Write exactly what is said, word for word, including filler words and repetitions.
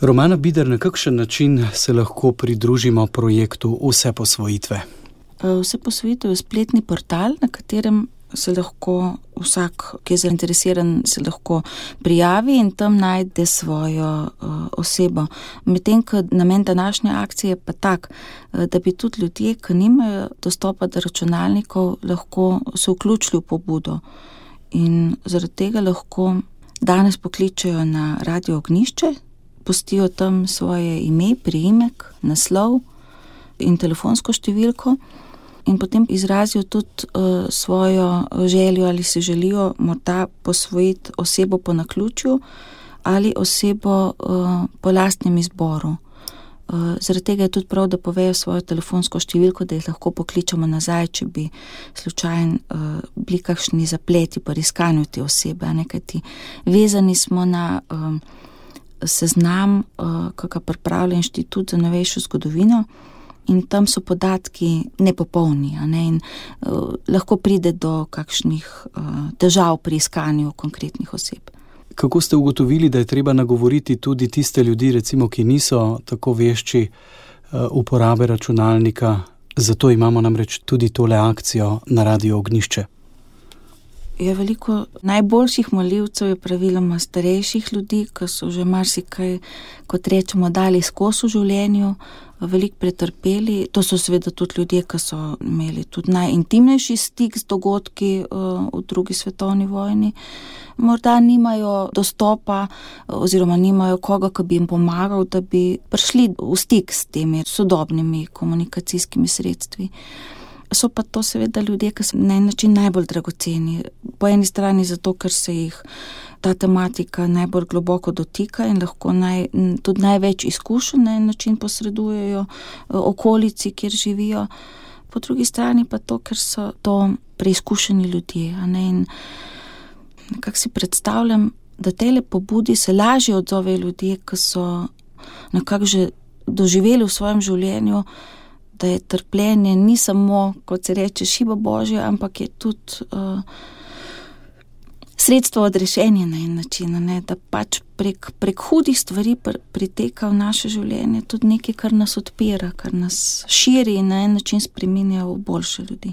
Romana Bider, na kakšen način se lahko pridružimo projektu Vseposvojitve? Vseposvojitev je spletni portal, na katerem se lahko vsak, ki je zainteresiran, se lahko prijavi in tam najde svojo uh, osebo. Medtem, ko namen današnje akcije pa tak, da bi tudi ljudje, ki nimajo dostopa do računalnikov, lahko se vključili v pobudo. In zaradi tega lahko danes pokličejo na Radio Ognjišče, pustijo tam svoje ime, priimek, naslov in telefonsko številko in potem izrazijo tudi uh, svojo željo, ali si želijo morda posvojiti osebo po naključju ali osebo uh, po lastnem izboru. Uh, zaradi tega je tudi prav, da povejo svojo telefonsko številko, da jih lahko pokličemo nazaj, če bi slučajno uh, bili kakšni zapleti pri iskanju te osebe. Kajti vezani smo na uh, seznam, uh, ki ga pripravlja Inštitut za novejšo zgodovino, in tam so podatki nepopolni, a ne? In uh, lahko pride do kakšnih uh, težav pri iskanju konkretnih oseb. Kako ste ugotovili, da je treba nagovoriti tudi tiste ljudi, recimo, ki niso tako vešči uh, uporabe računalnika? Zato imamo namreč tudi tole akcijo na Radio Ognjišče. Je veliko najboljših molivcev je praviloma starejših ljudi, ki so že marsikaj, kot rečemo, dali skozi v življenju, veliko pretrpeli. To so seveda tudi ljudje, ki so imeli tudi najintimnejši stik z dogodki uh, v drugi svetovni vojni. Morda nimajo dostopa oziroma nimajo koga, ki bi jim pomagal, da bi prišli v stik s temi sodobnimi komunikacijskimi sredstvi. So pa to seveda ljudje, ki so na en način najbolj dragoceni. Po eni strani zato, ker se jih ta tematika najbolj globoko dotika in lahko naj, tudi največ izkušenj na en način posredujejo okolici, kjer živijo. Po drugi strani pa to, ker so to preizkušeni ljudje. A ne? In nekako si predstavljam, da tele pobudi se lažje odzovejo ljudje, ki so nekako že doživeli v svojem življenju, da je trpljenje ni samo, kot se reče, šiba Božja, ampak je tudi uh, sredstvo odrešenja na en način, ne? Da pač prek, prek hudih stvari pr, priteka v naše življenje tudi nekaj, kar nas odpira, kar nas širi in na en način spreminja v boljše ljudi.